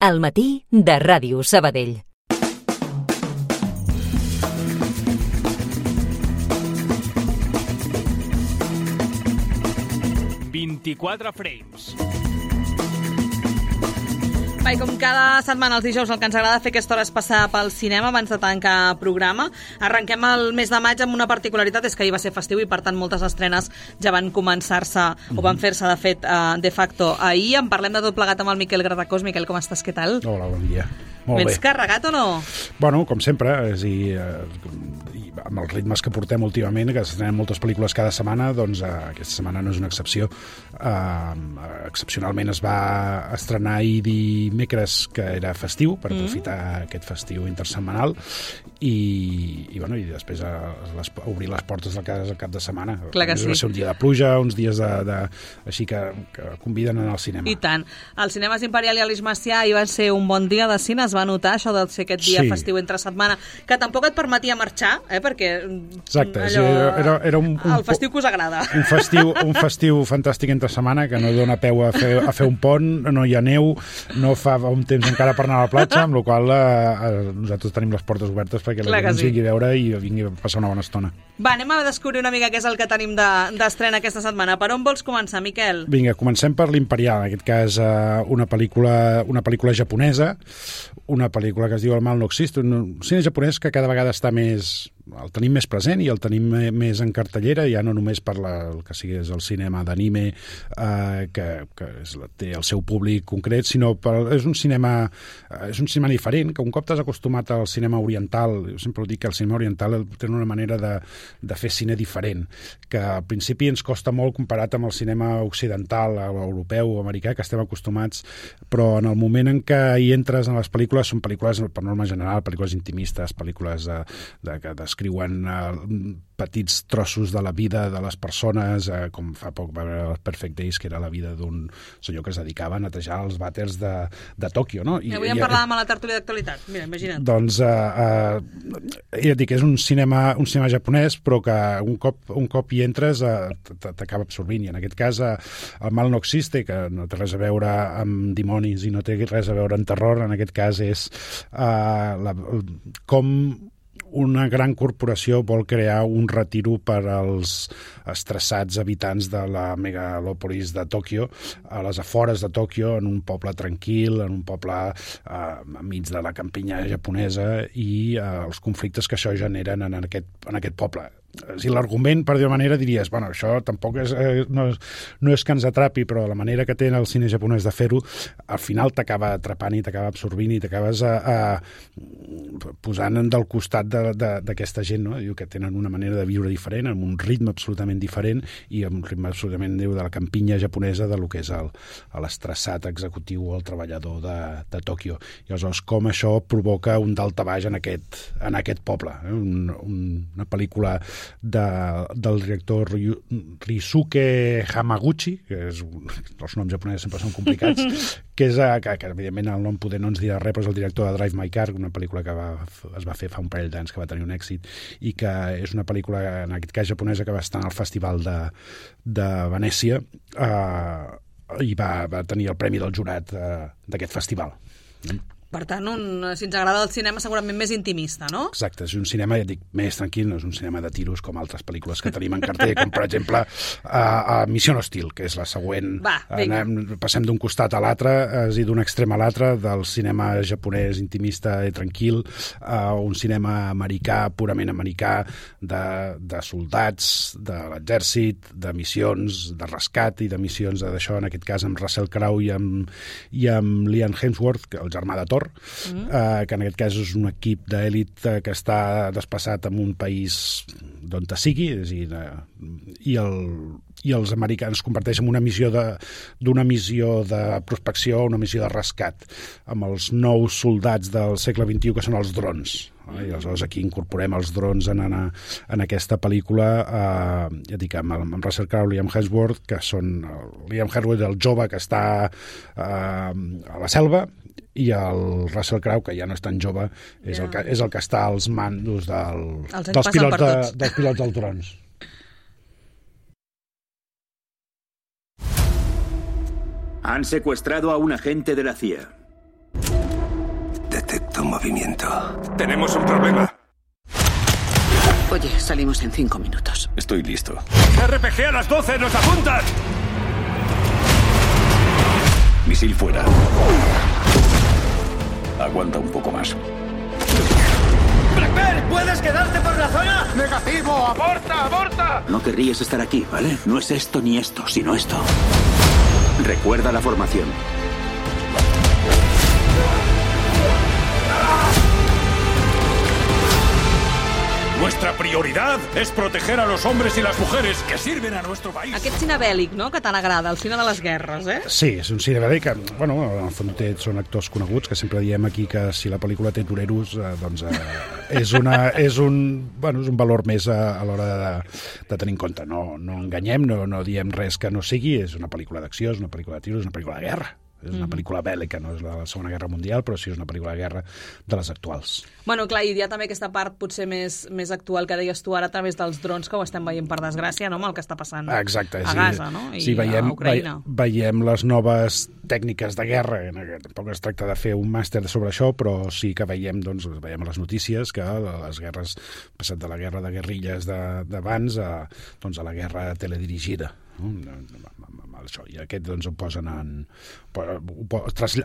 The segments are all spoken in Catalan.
Al matí de Ràdio Sabadell. «24 frames». I com cada setmana els dijous el que ens agrada fer aquesta hora és passar pel cinema abans de tancar programa. Arrenquem el mes de maig amb una particularitat, és que ahir va ser festiu i per tant moltes estrenes ja van començar-se o van fer-se de fet de facto ahir. En parlem de tot plegat amb el Miquel Gratacós. Miquel, com estàs? Què tal? Hola, bon dia. Molt bé. Vens carregat o no? Bueno, com sempre, és a dir, amb els ritmes que portem últimament, que s'estrenen moltes pel·lícules cada setmana, doncs aquesta setmana no és una excepció. Excepcionalment es va estrenar ahir dimecres, que era festiu, per aprofitar aquest festiu intersetmanal, i després obrir les portes de casa al cap de setmana. Clar que sí. Va ser un dia de pluja, uns dies així que conviden a anar al cinema. I tant. Els cinemes Imperial i Aleix Macià hi va ser un bon dia de cine, es va notar això de ser aquest dia festiu entre setmana, que tampoc et permetia marxar, perquè exacte, allò, era el festiu que us agrada. Un festiu fantàstic entre setmana, que no dona peu a fer un pont, no hi ha neu, no fa un temps encara per anar a la platja, amb la qual nosaltres tenim les portes obertes perquè la gent ens vingui a veure i vingui a passar una bona estona. Va, anem a descobrir una mica què és el que tenim d'estrena aquesta setmana. Per on vols començar, Miquel? Vinga, comencem per l'Imperial, en aquest cas una pel·lícula japonesa, una pel·lícula que es diu El mal no existe, un cine japonès que cada vegada està el tenim més present i el tenim més en cartellera, ja no només per el que sigui el cinema d'anime, que té el seu públic concret, sinó és un cinema diferent, que un cop t'has acostumat al cinema oriental, jo sempre ho dic que el cinema oriental té una manera de fer cine diferent, que al principi ens costa molt comparat amb el cinema occidental, europeu o americà, que estem acostumats, però en el moment en què hi entres en les pel·lícules, són pel·lícules, per norma general, pel·lícules intimistes, pel·lícules que descriuen petits trossos de la vida de les persones, com fa poc va veure Perfect Days, que era la vida d'un senyor que es dedicava a netejar els vàters de Tòquio, no? I avui en parlàvem a la tertúlia d'actualitat. Mira, imagina't. Doncs, ja et dic, és un cinema japonès, però que un cop hi entres t'acaba absorbint, i en aquest cas El mal no existe, que no té res a veure amb dimonis i no té res a veure amb terror, en aquest cas és com una gran corporació vol crear un retiro per als estressats habitants de la megalòpolis de Tòquio, a les afores de Tòquio, en un poble tranquil, en un poble enmig de la campinya japonesa, i els conflictes que això generen en aquest poble. Si l'argument, per dir-ho manera, diries, bueno, això tampoc no és que ens atrapi, però la manera que té el cine japonès de fer-ho, al final t'acaba atrapant i t'acaba absorbint i t'acabes posant del costat d'aquesta gent, no? Diu que tenen una manera de viure diferent, amb un ritme absolutament diferent i amb un ritme absolutament de la campinya japonesa, de lo que és l'estressat executiu o el treballador de Tòquio. I aleshores, com això provoca un daltabaix en aquest poble. Una pel·lícula del director Ryusuke Hamaguchi, que els noms japonesos sempre són complicats, que evidentment el nom poder no ens dirà res, però és el director de Drive My Car, una pel·lícula que es va fer fa un parell d'anys, que va tenir un èxit, i que és una pel·lícula, en aquest cas japonesa, que va estar al Festival de Venècia i va tenir el premi del jurat d'aquest festival. Per tant, si ens agrada el cinema, segurament més intimista, no? Exacte, és un cinema, ja dic, més tranquil, no és un cinema de tiros com altres pel·lícules que tenim en cartell, com per exemple Mission Hostil, que és la següent. Passem d'un costat a l'altre, és a dir, d'un extrem a l'altre, del cinema japonès intimista i tranquil, a un cinema americà, purament americà, de soldats, de l'exèrcit, de missions de rescat i de missions d'això, en aquest cas amb Russell Crowe i amb Liam Hemsworth, el germà de Thor, que en aquest cas és un equip d'èlit que està desplaçat en un país d'on sigui, és a dir, i els americans es converteixen en una missió de prospecció, una missió de rescat, amb els nous soldats del segle XXI, que són els drons. I aleshores aquí incorporem els drons en aquesta pel·lícula, ja dic, amb Russell Crowe i Liam Hemsworth, que són Liam Hemsworth, el jove que està a la selva, i el Russell Crowe, que ja no és tan jove, és el que està als mandos dels pilots dels drons. Han secuestrado a un agente de la CIA. movimiento. Tenemos un problema. Oye, salimos en 5 minutos. Estoy listo. RPG a las 12, ¡nos apuntan! Misil fuera. Aguanta un poco más. ¡Blackbeard! ¿Puedes quedarte por la zona? ¡Negativo! ¡Aborta! ¡Aborta! No querrías estar aquí, ¿vale? No es esto ni esto, sino esto. Recuerda la formación. Nuestra prioridad és proteger a los hombres y las mujeres que sirven a nuestro país. Aquest cine bèl·lic, no?, que tant agrada, el cine de les guerres, eh? Sí, és un cine bèl·lic que, bueno, en el fons són actors coneguts, que sempre diem aquí que si la pel·lícula té toreros, doncs és un valor més a l'hora de tenir en compte. No enganyem, no diem res que no sigui, és una pel·lícula d'acció, és una pel·lícula de tiros, és una pel·lícula de guerra. És una pel·lícula bèl·lica, no és la Segona Guerra Mundial, però sí és una pel·lícula de guerra de les actuals. Bueno, clar, i hi ha també aquesta part potser més actual que deies tu ara a través dels drons, que ho estem veient per desgràcia, no?, amb el que està passant a Gaza, no?, i a Ucraïna. Veiem les noves tècniques de guerra, tampoc es tracta de fer un màster sobre això, però sí que veiem a les notícies que les guerres, passat de la guerra de guerrilles d'abans a la guerra teledirigida. I aquest ho posen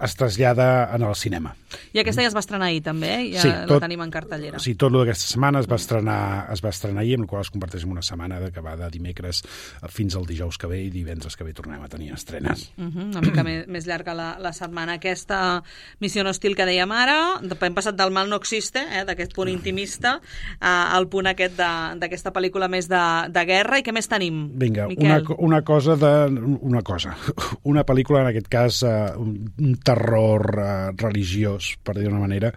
es trasllada en el cinema. I aquesta ja es va estrenar ahir també, sí, la tenim en cartellera. Sí, tot d'aquesta setmana es va estrenar ahir, amb la qual es converteix en una setmana que va de dimecres fins al dijous que ve, i divendres que ve tornem a tenir estrenes. Una mica més llarga la setmana. Aquesta Missió Hostil que dèiem ara, hem passat del mal no existe, d'aquest punt intimista, al punt aquest d'aquesta pel·lícula més de guerra. I què més tenim, Vinga, Miquel? Una pel·lícula, en aquest cas, un terror religiós, per dir d'una manera.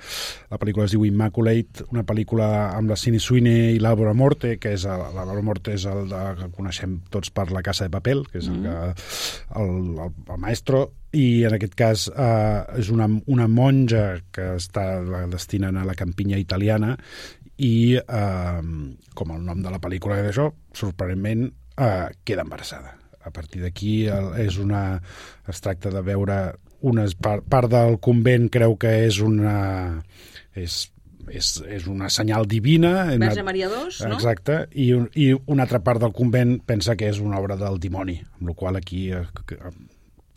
La pel·lícula es diu Immaculate, una pel·lícula amb la Sydney Sweeney i l'Álvaro Morte, que és l'Álvaro Morte és el que coneixem tots per La Casa de Papel, que és el maestro, i en aquest cas és una monja que la destinen a la campinya italiana, i com el nom de la pel·lícula és això, sorprenentment queda embarassada. A partir d'aquí es tracta de veure part del convent, creu que és una senyal divina. Verge Maria II, no? Exacte, i una altra part del convent pensa que és una obra del dimoni, amb la qual aquí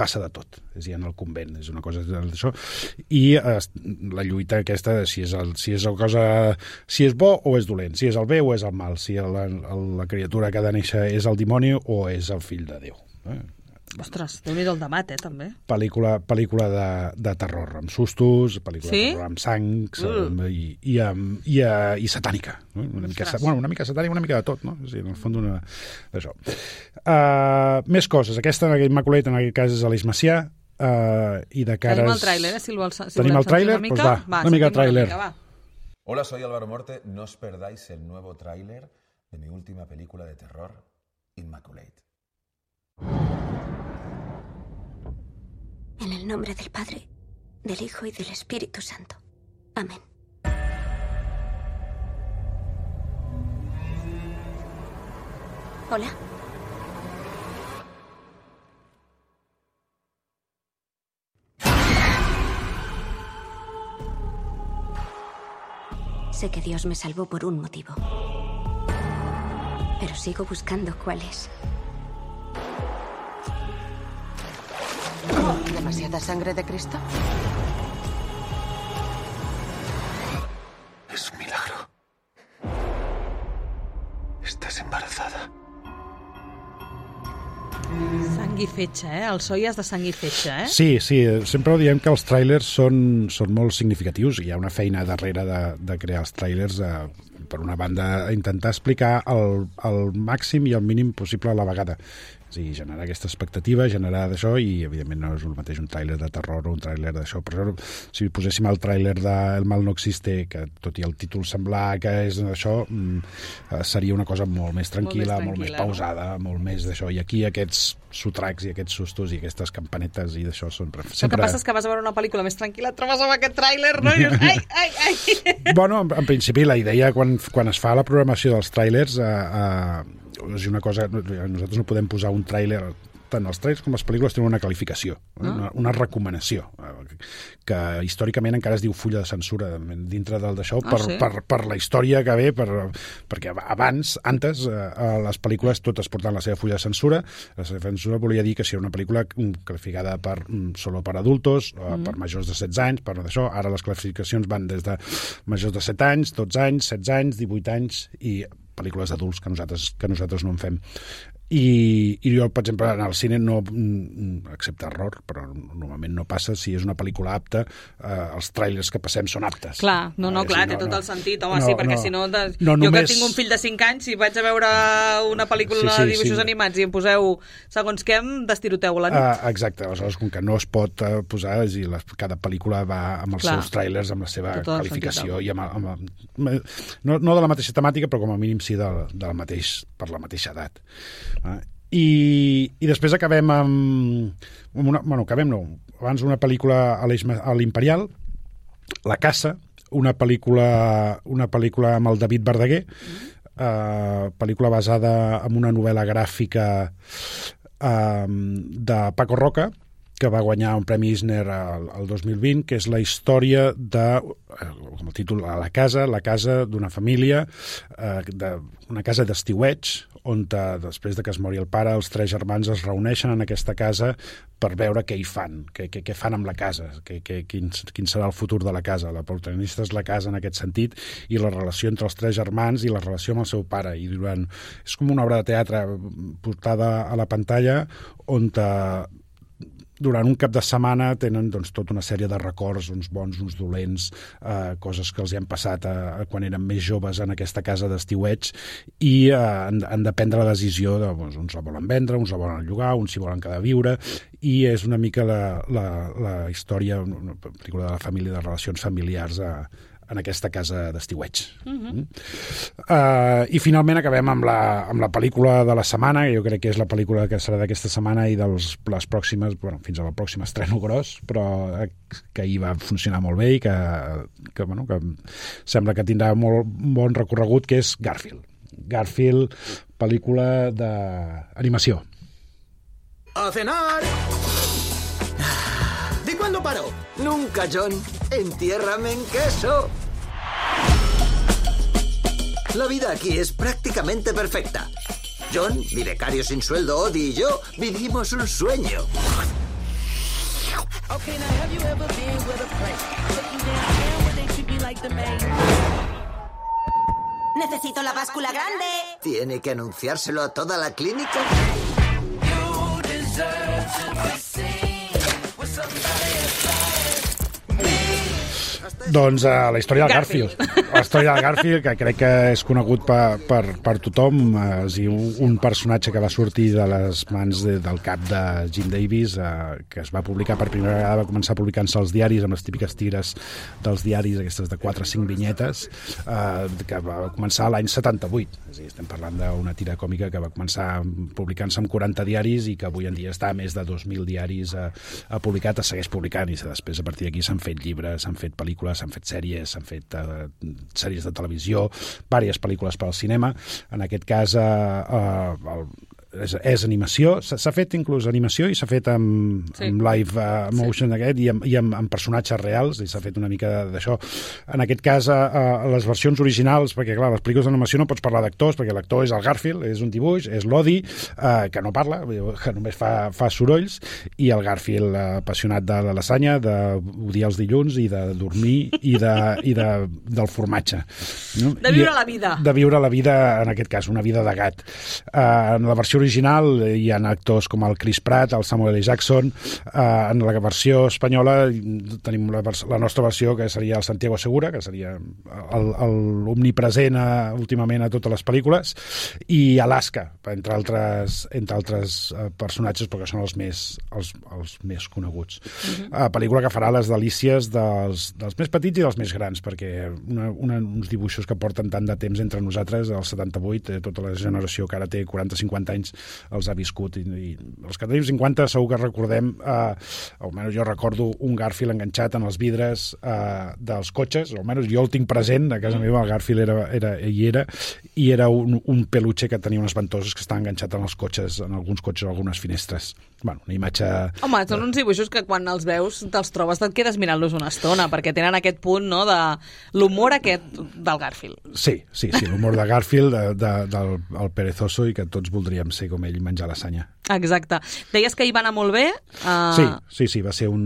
passa de tot, és ja en el convent, és una cosa d'això, i la lluita aquesta de si és bo o és dolent, si és el bé o és el mal, si la criatura que ha de néixer és el dimoni o és el fill de Déu. Ostres, Déu-n'hi-do el debat, també. Pel·lícula de terror, amb sustos, pel·lícula de terror amb sang i satànica. Una mica satànica, una mica de tot, no? O sigui, en el fons d'això. Més coses. Aquesta, Immaculate, en aquest cas, és Aleix Macià, i de cares... Tenim el tràiler, si el vols sentir una mica. Tenim el tràiler? Doncs va, una mica de tràiler. Hola, soy Álvaro Morte. No os perdáis el nuevo tráiler de mi última película de terror, Immaculate. En el nombre del Padre, del Hijo y del Espíritu Santo. Amén. Hola. Sé que Dios me salvó por un motivo. Pero sigo buscando cuál es. ¿Demasiada sangre de Cristo? Es un milagro. Estás embarazada. Sang i fetge, el so ja és de sang i fetge, Sí, sempre diem que els tràilers són molt significatius. Hi ha una feina darrere de crear els tràilers, per una banda, intentar explicar el màxim i el mínim possible a la vegada. És a dir, generar aquesta expectativa, generar d'això, i evidentment no és el mateix un tràiler de terror o un tràiler d'això. Però si poséssim el tràiler de El mal no existe, que tot i el títol semblar que és això, seria una cosa molt més tranquil·la, molt més pausada, molt més d'això. I aquí aquests sotracs i aquests sustos i aquestes campanetes i d'això són... El que passa és que vas a veure una pel·lícula més tranquil·la, et trobes amb aquest tràiler, no? I dius, ai! Bueno, en principi la idea quan es fa la programació dels tràilers és una cosa... Nosaltres no podem posar un tràiler tant els trailers com les pel·lícules tenen una qualificació, una recomanació, que històricament encara es diu full de censura dintre del d'això, per la història que ve, perquè abans, les pel·lícules totes portant la seva full de censura. La seva censura volia dir que si era una pel·lícula qualificada solo per adultos, per majors de 16 anys, per d'això. Ara les classificacions van des de majors de 7 anys, 12 anys, 16 anys, 18 anys i pel·lícules d'adults que nosaltres no en fem. I jo, per exemple, en el cine no, excepte error, però normalment no passa, si és una pel·lícula apta, els trailers que passem són aptes. Clar, clar, té tot el sentit, home, sí, perquè si no, jo que tinc un fill de 5 anys, si vaig a veure una pel·lícula de dibuixos animats i em poseu segons què, em destiroteu la nit. Exacte, aleshores, com que no es pot posar, cada pel·lícula va amb els seus trailers, amb la seva qualificació, i no de la mateixa temàtica, però com a mínim sí per la mateixa edat. I després acabem abans una pel·lícula a l'Imperial, La Casa, una pel·lícula amb el David Verdaguer, pel·lícula basada en una novel·la gràfica de Paco Roca, que va guanyar un premi Eisner el 2020, que és la història com el títol, La Casa d'una família, una casa d'estiueig, on després de que es mori el pare, els 3 germans es reuneixen en aquesta casa per veure què hi fan, què fan amb la casa, quin serà el futur de la casa. La protagonista és la casa en aquest sentit, i la relació entre els 3 germans i la relació amb el seu pare. És com una obra de teatre portada a la pantalla, on durant un cap de setmana tenen tota una sèrie de records, uns bons, uns dolents, coses que els hi han passat quan eren més joves en aquesta casa d'estiueig, i han de prendre la decisió de uns la volen vendre, uns la volen llogar, uns s'hi volen quedar a viure, i és una mica la història, una pel·lícula de la família, de relacions familiars en aquesta casa d'estiueig. I finalment acabem amb la pel·lícula de la setmana, que jo crec que és la pel·lícula que serà d'aquesta setmana i de les pròximes, fins a la pròxima estreno gros, però que ahir va funcionar molt bé i que sembla que tindrà molt bon recorregut, que és Garfield. Garfield, pel·lícula d'animació. ¡A cenar! ¿De cuándo paró? Nunca, John. Entiérrame en queso. La vida aquí es prácticamente perfecta. John, mi becario sin sueldo, Odie y yo vivimos un sueño. Necesito la báscula grande. ¿Tiene que anunciárselo a toda la clínica? Doncs la història del Garfield. La història del Garfield, que crec que és conegut per tothom, és un personatge que va sortir de les mans del cap de Jim Davis, que es va publicar per primera vegada, va començar publicant-se als diaris, amb les típiques tires dels diaris, aquestes de 4 o 5 vinyetes, que va començar l'any 78. És a dir, estem parlant d'una tira còmica que va començar publicant-se amb 40 diaris i que avui en dia està a més de 2.000 diaris publicat, es segueix publicant, i després a partir d'aquí s'han fet llibres, s'han fet pel·lícules, s'han fet sèries, s'han fet sèries de televisió, diverses pel·lícules per al cinema. En aquest cas és animació, s'ha fet inclús animació i s'ha fet amb live motion i amb personatges reals, i s'ha fet una mica d'això. En aquest cas, les versions originals, perquè clar, les pel·lícules d'animació no pots parlar d'actors, perquè l'actor és el Garfield, és un dibuix, és l'Odie, que no parla, que només fa sorolls, i el Garfield apassionat de la lasanya, d'odiar els dilluns i de dormir i del formatge. De viure la vida. De viure la vida, en aquest cas, una vida de gat. En la versió original hi ha actors com el Chris Pratt, el Samuel L. Jackson. En la versió espanyola tenim la nostra versió, que seria el Santiago Segura, que seria l'omnipresent últimament a totes les pel·lícules, i Alaska, entre altres personatges, perquè són els més coneguts. Pel·lícula que farà les delícies dels més petits i dels més grans, perquè uns dibuixos que porten tant de temps entre nosaltres, el 78, tota la generació que ara té 40-50 anys, anys els ha viscut, i els que tenim 50 segur que recordem, almenys jo recordo un Garfield enganxat en els vidres dels cotxes, almenys jo el tinc present, a casa meva el Garfield era un peluche que tenia unes ventoses que estava enganxat en els cotxes, en alguns cotxes, en algunes finestres. Bueno, una imatge... Home, són uns dibuixos que quan els veus te'ls trobes, et quedes mirant-los una estona, perquè tenen aquest punt, no?, de l'humor aquest del Garfield. Sí, l'humor de Garfield, del perezoso, i que tots voldríem ser com ell, menjar la sanya. Exacte. Deies que hi va anar molt bé? Sí, va ser, ho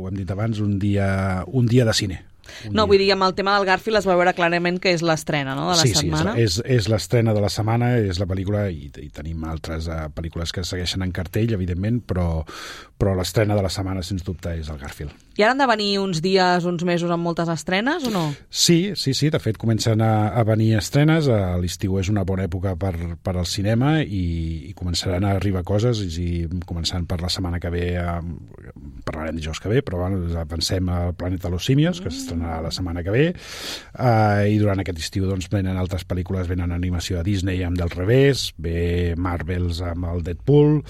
hem dit abans, un dia de cine. Vull dir, amb el tema del Garfield es va veure clarament que és l'estrena, no?, de la setmana. Sí, és l'estrena de la setmana, és la pel·lícula, i tenim altres pel·lícules que segueixen en cartell, evidentment, però l'estrena de la setmana, sens dubte, és el Garfield. I ara han de venir uns dies, uns mesos amb moltes estrenes, o no? Sí, de fet comencen a venir estrenes, l'estiu és una bona època per al cinema i començaran a arribar coses, i començant per la setmana que ve, parlarem dijous que ve, però pensem al Planeta de los Simios, que s'estrenarà la setmana que ve, i durant aquest estiu doncs venen altres pel·lícules, venen animació de Disney amb Del Revés, ve Marvels amb el Deadpool,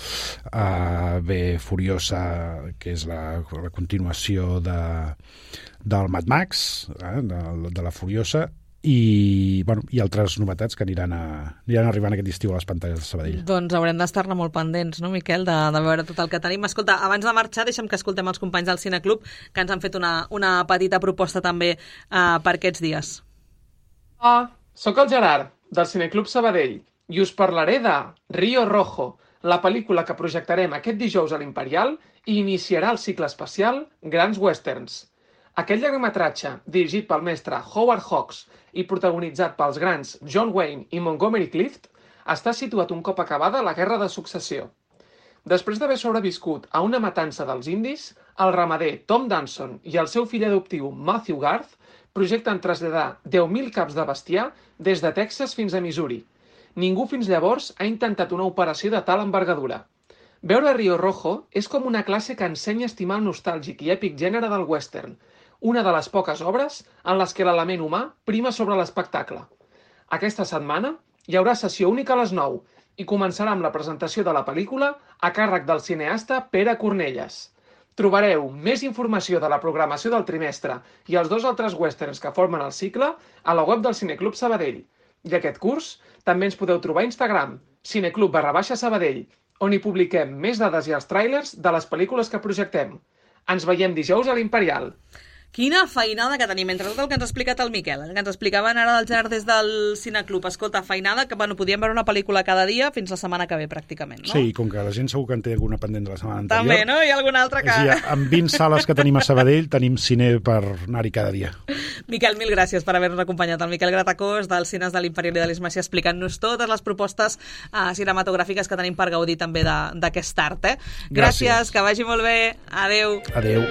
ve Furiosa, que és la continuació del Mad Max, de la Furiosa, i altres novetats que aniran arribant aquest estiu a les pantalles de Sabadell. Doncs haurem d'estar-ne molt pendents, no, Miquel, de veure tot el que tenim. Escolta, abans de marxar, deixa'm que escoltem els companys del Cineclub, que ens han fet una petita proposta també per aquests dies. Soc el Gerard, del Cineclub Sabadell, i us parlaré de Río Rojo, la pel·lícula que projectarem aquest dijous a l'Imperial i iniciarà el cicle especial Grans Westerns. Aquest llargmetratge, dirigit pel mestre Howard Hawks i protagonitzat pels grans John Wayne i Montgomery Clift, està situat un cop acabada la Guerra de Successió. Després d'haver sobreviscut a una matança dels indis, el ramader Tom Danson i el seu fill adoptiu Matthew Garth projecten traslladar 10.000 caps de bestiar des de Texas fins a Missouri. Ningú fins llavors ha intentat una operació de tal envergadura. Veure Río Rojo és com una classe que ensenya a estimar el nostàlgic i èpic gènere del western, una de les poques obres en les que l'element humà prima sobre l'espectacle. Aquesta setmana hi haurà sessió única a les 9 i començarà amb la presentació de la pel·lícula a càrrec del cineasta Pere Cornelles. Trobareu més informació de la programació del trimestre i els 2 altres westerns que formen el cicle a la web del Cineclub Sabadell. I aquest curs també ens podeu trobar a Instagram, cineclub_Sabadell, on hi publiquem més dades i els tràilers de les pel·lícules que projectem. Ens veiem dijous a l'Imperial. Quina feinada que tenim, entre tot el que ens ha explicat el Miquel, que ens explicaven ara del Gerard des del Cineclub. Escolta, feinada, que podíem veure una pel·lícula cada dia fins la setmana que ve, pràcticament, no? Sí, com que la gent segur que en té alguna pendent de la setmana anterior. També, no? Hi ha alguna altra que... Sí, amb 20 sales que tenim a Sabadell, tenim cine per anar-hi cada dia. Miquel, mil gràcies per haver-nos acompanyat. El Miquel Gratacós, dels Cines de l'Imperial i de l'Ismacia, explicant-nos totes les propostes cinematogràfiques que tenim per gaudir també d'aquest art. Gràcies, que vagi molt bé. Adéu. Adéu.